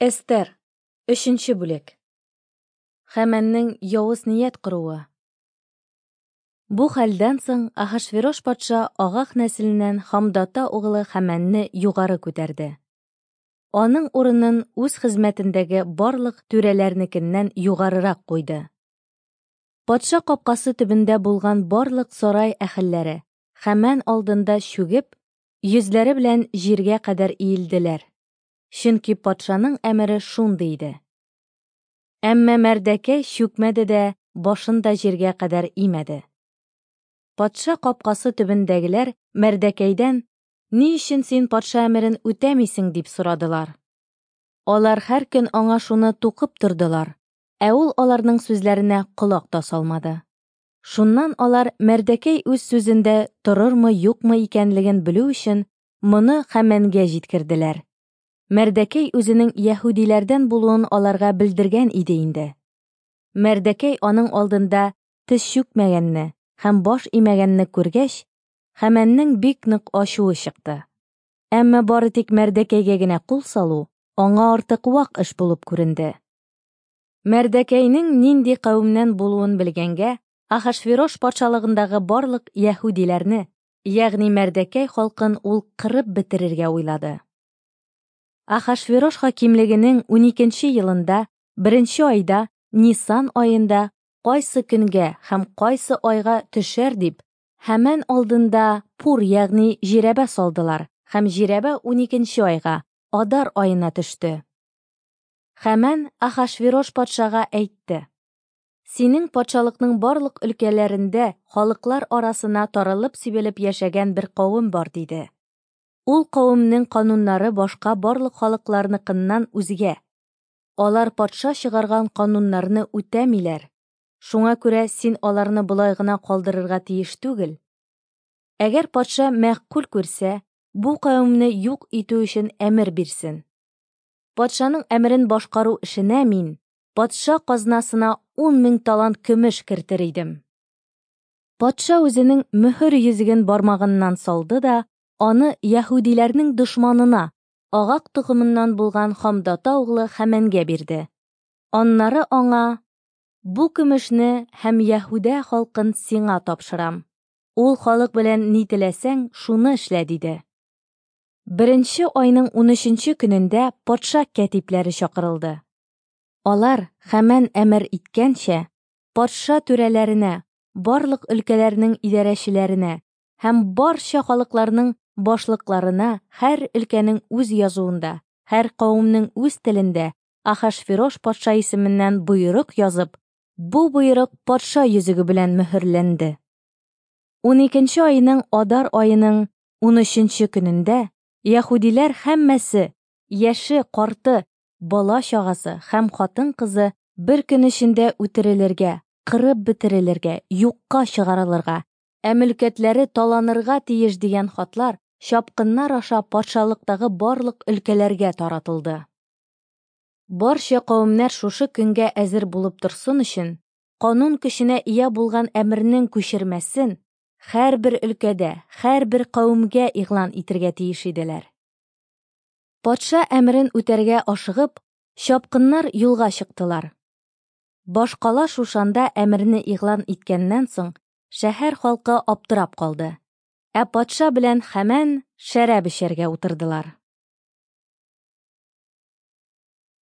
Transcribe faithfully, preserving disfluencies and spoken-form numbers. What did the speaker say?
Эстер, өченче бүлек. Хәмәннең явыз ният коруы. Бу хәлдән соң Ахашверош патша Агах нәселеннән Хамдата углы Хәмәнне югары күтәрде. Аның урынын үз хезмәтендәге барлык түрәләрнекеннән югарырак куйды. Патша капкасы төбендә булган барлык сарай әһелләре Хәмән алдында чүгеп, йөзләре белән җиргә кадәр иелделәр. Чөнки патшаның әмере шундый иде. Әмма Мәрдәкәй чүкмәде дә, башын да җиргә кадәр имәде. Патша капкасы төбендәгеләр Мәрдәкәйдән: "Ни өчен син патша әмерен үтәмисең?" дип сорадылар. Алар һәр көн аңа шуны тукып тордылар, ә ул аларның сүзләренә колак та салмады. Шуннан алар Мәрдәкәй үз сүзендә торырмы-юкмы икәнлеген белү өчен моны Хәмәнгә җиткерделәр. Мәрдәкәй үзенең яһүдиләрдән булуын аларга белдергән иде инде. Мәрдәкәй аның алдында тез чүкмәгәнне һәм баш имәгәнне күргәч, Хәмәннең бик нык ачуы чыкты. Әмма бары тик Мәрдәкәйгә генә кул салу аңа артык вак эш булып күренде. Мәрдәкәйнең нинди кавемнән булуын белгәнгә, Ахашверош патшалыгындагы барлык яһүдиләрне, ягъни Мәрдәкәй халкын ул кырып бетерергә уйлады. Ахашверош хакимлегенең уникенче елында, беренче айда, Нисан аенда, кайсы көнгә һәм кайсы айга төшәр дип, Хәмән алдында пур, ягъни җирәбә салдылар, һәм җирәбә уникенче айга, Адар аена төште. Хәмән Ахашверош патшага әйтте: "Синең патшалыкның барлык өлкәләрендә халыклар арасына таралып сибелеп яшәгән бер кавем бар", диде. Ул кавемнең кануннары башка барлык халыкларныкыннан үзгә. Алар патша чыгарган кануннарны үтәмиләр. Шуңа күрә син аларны болай гына калдырырга тиеш түгел. Әгәр патша мәгъкуль күрсә, бу кавемне юк итү өчен әмер бирсен. Патшаның әмерен башкару эшенә мин патша казнасына ун мең талант көмеш кертер идем. Патша үзенең мөһер йөзеген бармагыннан салды да, аны яһүдиләрнең дошманына, Агак токымыннан булган Хамдата углы Хәмәнгә бирде. Аннары аңа: "Бу көмешне һәм Яһүдә халкын сиңа тапшырам. Ул халык белән ни теләсәң, шуны эшлә", диде. Беренче айның унөченче көнендә патша кәтипләре чакырылды. Алар Хәмән әмер иткәнчә, патша түрәләренә, барлык өлкәләрнең идарәчеләренә һәм барча халыкларның башлыкларына һәр өлкәнең үз язуында, һәр кавемнең үз телендә Ахашверош патша исеменнән боерык язып, бу боерык патша йөзеге белән мөһерләнде. Уникенче айның Адар аеның унөченче көнендә яһүдиләр һәммәсе, яше, карты, бала чагасы һәм хатын-кызы бер көн эчендә үтерелергә, кырып бетерелергә, юкка чыгарылырга, ә мөлкәтләре таланырга тиеш дигән хатлар чапкыннар аша патшалыктагы барлык өлкәләргә таратылды. Барча кавемнәр шушы көнгә әзер булып торсын өчен, канун көченә ия булган әмернең күчермәсен һәрбер өлкәдә, һәрбер кавемгә игълан итергә тиеш иделәр. Патша әмерен үтәргә ашыгып, чапкыннар юлга чыктылар. Башкала Шушанда әмерне игълан иткәннән соң, шәһәр халкы аптырап калды. Ә патша белән Хәмән шәраб эчәргә утырдылар.